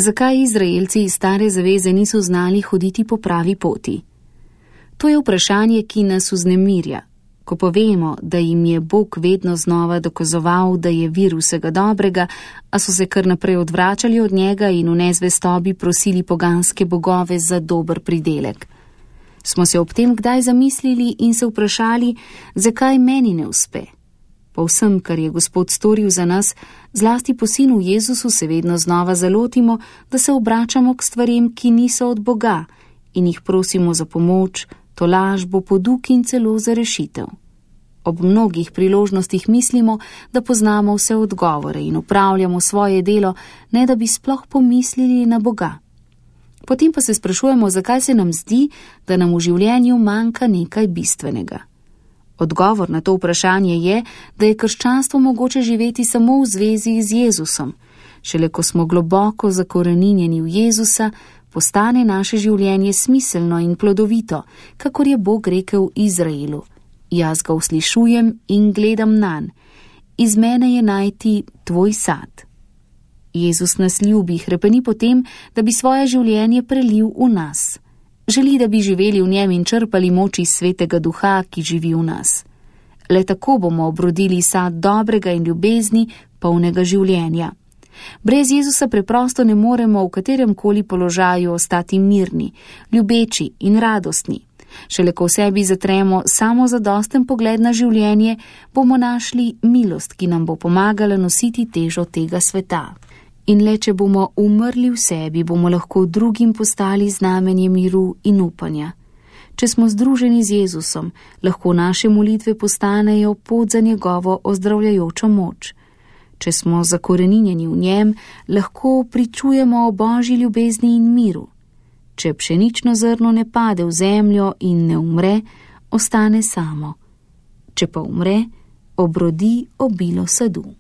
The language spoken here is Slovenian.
Zakaj Izraelci iz Stare zaveze niso znali hoditi po pravi poti? To je vprašanje, ki nas vznemirja. Ko povemo, da jim je Bog vedno znova dokazoval, da je vir vsega dobrega, a so se kar naprej odvračali od njega in v nezvestobi prosili poganske bogove za dober pridelek. Smo se ob tem kdaj zamislili in se vprašali, zakaj meni ne uspe? Po vsem, kar je Gospod storil za nas, zlasti po sinu Jezusu se vedno znova zalotimo, da se obračamo k stvarem, ki niso od Boga, in jih prosimo za pomoč, tolažbo, poduk in celo za rešitev. Ob mnogih priložnostih mislimo, da poznamo vse odgovore in upravljamo svoje delo, ne da bi sploh pomislili na Boga. Potem pa se sprašujemo, zakaj se nam zdi, da nam v življenju manjka nekaj bistvenega. Odgovor na to vprašanje je, da je krščanstvo mogoče živeti samo v zvezi z Jezusom. Šele ko smo globoko zakoreninjeni v Jezusa, postane naše življenje smiselno in plodovito, kakor je Bog rekel Izraelu. Jaz ga uslišujem in gledam nanj. Iz mene je najti tvoj sad. Jezus nas ljubi, hrepeni potem, da bi svoje življenje prelil v nas. Želi, da bi živeli v njem in črpali moč iz Svetega Duha, ki živi v nas. Le tako bomo obrodili sad dobrega in ljubezni, polnega življenja. Brez Jezusa preprosto ne moremo v kateremkoli položaju ostati mirni, ljubeči in radostni. Šele ko v sebi zatremo samozadosten pogled na življenje, bomo našli milost, ki nam bo pomagala nositi težo tega sveta. In le če bomo umrli v sebi, bomo lahko drugim postali znamenje miru in upanja. Če smo združeni z Jezusom, lahko naše molitve postanejo pot za njegovo ozdravljajočo moč. Če smo zakoreninjeni v njem, lahko pričujemo o Božji ljubezni in miru. Če pšenično zrno ne pade v zemljo in ne umre, ostane samo. Če pa umre, obrodi obilo sadu.